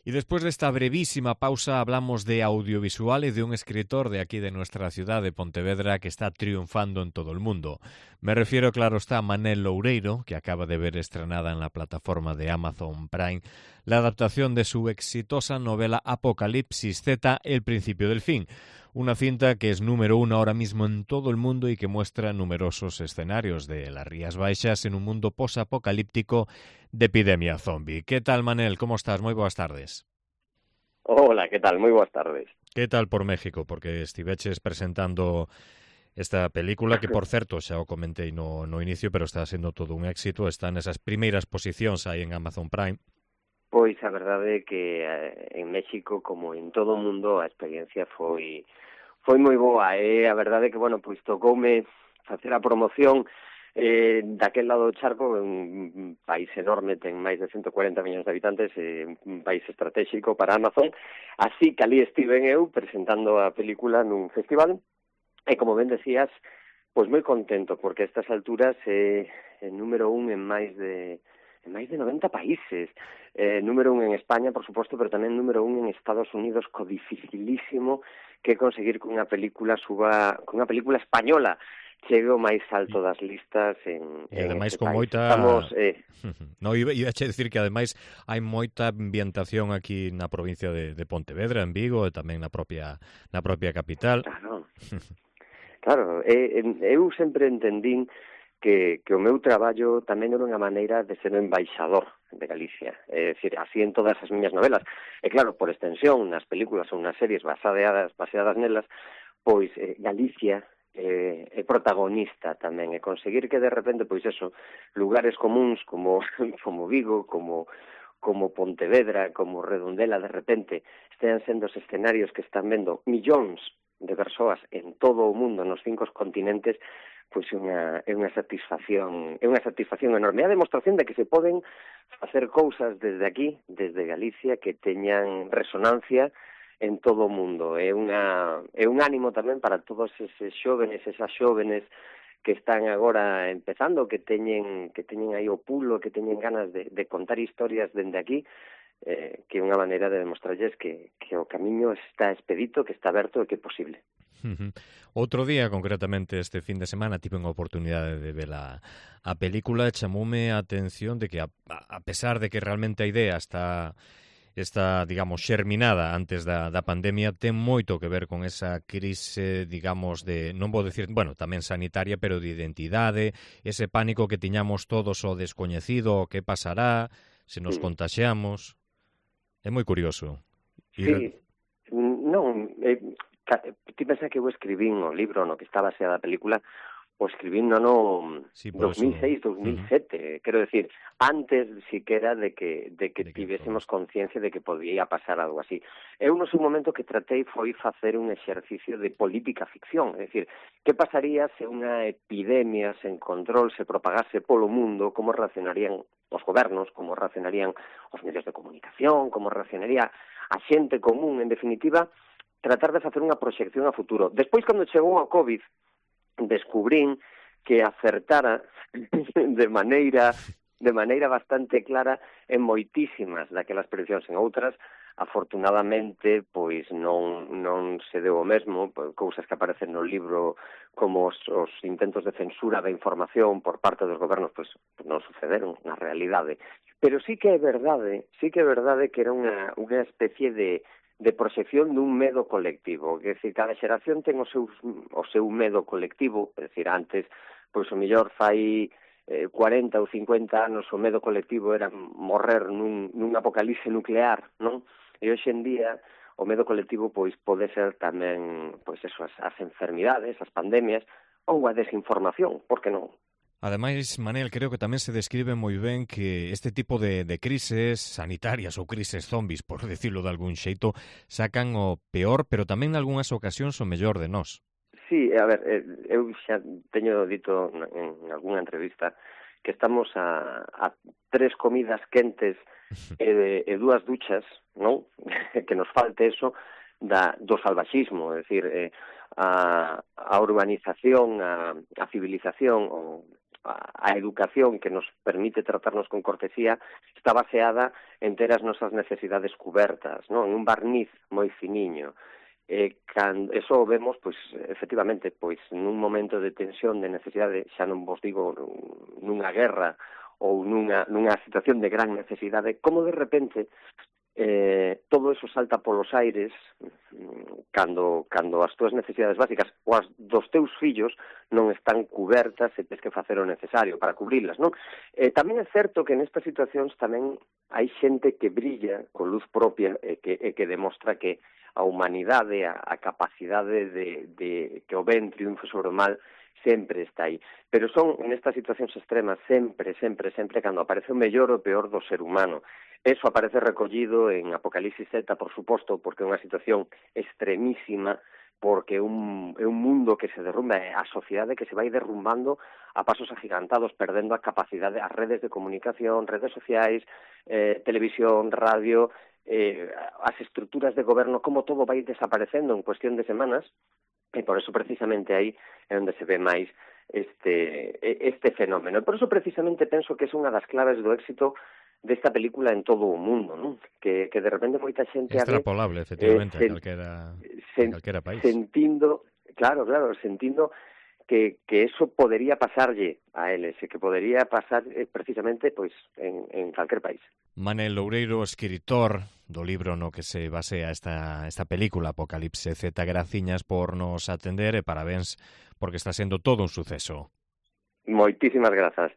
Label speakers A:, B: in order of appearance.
A: Y después de esta brevísima pausa hablamos de audiovisual y de un escritor de aquí de nuestra ciudad de Pontevedra que está triunfando en todo el mundo. Me refiero, claro está, a Manel Loureiro, que acaba de ver estrenada en la plataforma de Amazon Prime la adaptación de su exitosa novela Apocalipsis Z, El principio del fin. Una cinta que es número 1 ahora mismo en todo el mundo y que muestra numerosos escenarios de las Rías Baixas en un mundo posapocalíptico de epidemia zombie. ¿Qué tal, Manel? ¿Cómo estás? Muy buenas tardes.
B: Hola, ¿qué tal? Muy buenas tardes.
A: ¿Qué tal por México? Porque estiveches presentando esta película que, por certo, xa o comentei no inicio, pero está sendo todo un éxito. Está nesas primeiras posicións aí en Amazon Prime.
B: Pois a verdade é que en México, como en todo o mundo, a experiencia foi moi boa. E a verdade é que, bueno, pois tocoume facer a promoción daquel lado do charco, un país enorme, ten máis de 140 millóns de habitantes, un país estratégico para Amazon, así que ali estiven eu presentando a película nun festival, e como ben decías, pois moi contento, porque a estas alturas é número 1 en máis de 90 países, número 1 en España, por suposto, pero tamén número 1 en Estados Unidos, co dificilísimo que conseguir que unha película española chegue ao máis alto das listas en
A: ademais
B: este
A: con
B: país.
A: moita...
B: Estamos...
A: No, iba a dicir que ademais hai moita ambientación aquí na provincia de Pontevedra, en Vigo, e tamén na propia capital.
B: Claro, eu sempre entendín que o meu traballo tamén era unha maneira de ser o embaixador de Galicia, é dicir, así en todas as miñas novelas. E claro, por extensión, nas películas ou nas series baseadas nelas, pois Galicia é protagonista tamén, e conseguir que de repente, pois eso, lugares comuns como Vigo, como Pontevedra, como Redondela, de repente, estean sendo os escenarios que están vendo millóns de persoas en todo o mundo, nos 5 continentes, pois é unha satisfacción enorme. É a demostración de que se poden facer cousas desde aquí, desde Galicia, que teñan resonancia en todo o mundo. É un ánimo tamén para todos esas xóvenes que están agora empezando, que teñen aí o pulo, que teñen ganas de contar historias dende aquí, que é unha maneira de demostrarlles que o camiño está expedito, que está aberto e que é posible.
A: Outro día, concretamente este fin de semana, tive unha oportunidade de ver a película e chamoume a atención de que, a pesar de que realmente a idea está digamos, xerminada antes da pandemia, ten moito que ver con esa crise, digamos, de, non vou dicir, bueno, tamén sanitaria, pero de identidade, ese pánico que tiñamos todos ao descoñecido, o que pasará, se nos contaxiamos. É moi curioso.
B: Sí, non, ti pensa que eu escribín o libro no que está baseada a película, o escribín no 2006, 2007, quero decir, antes siquera de que tivésemos conciencia de que podía pasar algo así. Eu no seu momento que tratei foi facer un exercicio de política ficción, é dicir, que pasaría se unha epidemia sen control se propagase polo mundo, como reaccionarían os gobernos, como reaccionarían os medios de comunicación, como reaccionaría a xente común, en definitiva, tratar de facer unha proxección a futuro. Despois, cando chegou a COVID, descubrín que acertara de maneira bastante clara en moitísimas daquelas prediccións. En outras, afortunadamente, pois non se deu o mesmo, cousas que aparecen no libro como os intentos de censura da información por parte dos gobernos, pois non sucederon na realidade. Pero sí que é verdade que era unha especie de proxección dun medo colectivo, que decir, cada xeración ten o seu medo colectivo, é dicir, antes, pois o mellor fai 40 ou 50 anos o medo colectivo era morrer nun apocalipse nuclear, non? E hoxe en día o medo colectivo pois pode ser tamén pois eso, as enfermidades, as pandemias ou a desinformación, por que non?
A: Ademais, Manel, creo que tamén se describe moi ben que este tipo de crises sanitarias ou crises zombies, por decirlo de algún xeito, sacan o peor, pero tamén en algunhas ocasións o mellor de nós.
B: Sí, a ver, eu xa teño dito en algunha entrevista que estamos a 3 comidas quentes e 2 duchas, non? Que nos falte eso do salvaxismo, é dicir, a urbanización, a civilización, a educación que nos permite tratarnos con cortesía está baseada en ter as nosas necesidades cubertas, non? En un barniz moi finiño. Eso o vemos, pois, efectivamente, pois, nun momento de tensión, de necesidade, xa non vos digo nunha guerra ou nunha situación de gran necesidade, como de repente todo eso salta polos aires cando as túas necesidades básicas ou as dos teus fillos non están cubertas e tens que facer o necesario para cubrilas, non? Tamén é certo que nestas situacións tamén hai xente que brilla con luz propia e que demostra que a humanidade, a capacidade de que o ben triunfe sobre o mal sempre está aí. Pero son, nestas situacións extremas, sempre, cando aparece o mellor ou o peor do ser humano. Eso aparece recollido en Apocalipsis Z, por suposto, porque é unha situación extremísima, porque é un mundo que se derrumba, a sociedade que se vai derrumbando a pasos agigantados, perdendo a capacidade, as redes de comunicación, redes sociais, televisión, radio, as estruturas de goberno, como todo vai desaparecendo en cuestión de semanas, e por eso precisamente aí é onde se ve máis este fenómeno. E por eso precisamente penso que é unha das claves do éxito desta película en todo o mundo, non? Que de repente moita xente
A: extrapolable, efectivamente, a calquera país.
B: Sentindo que eso podería pasarlle a eles, e que podería pasar precisamente pois en calquer país.
A: Manel Loureiro, escritor do libro no que se basea esta película Apocalipse Z, graciñas por nos atender e parabéns porque está sendo todo un suceso.
B: Moitísimas grazas.